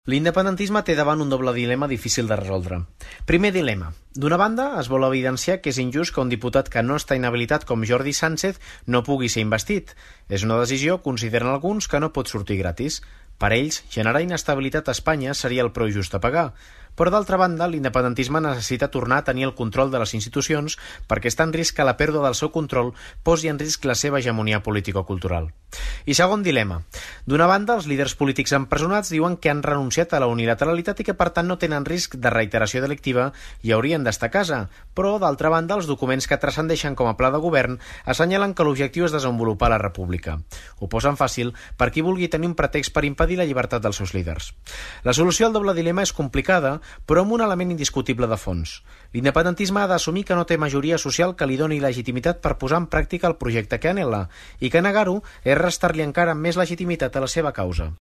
L'independentisme té davant un doble dilema difícil de resoldre. Primer dilema. D'una banda, es vol evidenciar que és injust que un diputat que no està inhabilitat com Jordi Sánchez no pugui ser investit. És una decisió, consideren alguns, que no pot sortir gratis. Per ells, generar inestabilitat a Espanya seria el preu just a pagar. Però d'altra banda, l'independentisme necessita tornar a tenir el control de les institucions perquè està en risc que la pèrdua del seu control posi en risc la seva hegemonia político-cultural. I segon dilema. D'una banda, els líders polítics empresonats diuen que han renunciat a la unilateralitat i que per tant no tenen risc de reiteració delictiva i haurien d'estar a casa. Però, d'altra banda, els documents que transcendeixen com a pla de govern assenyalen que l'objectiu és desenvolupar la república. Ho posen fàcil per qui vulgui tenir un pretext per impedir la llibertat dels seus líders. La solució al doble dilema és complicada, però amb un element indiscutible de fons. L'independentisme ha d'assumir que no té majoria social que li doni legitimitat per posar en pràctica el projecte que anhela, i que negar-ho és restar-li encara més legitimitat a la seva causa.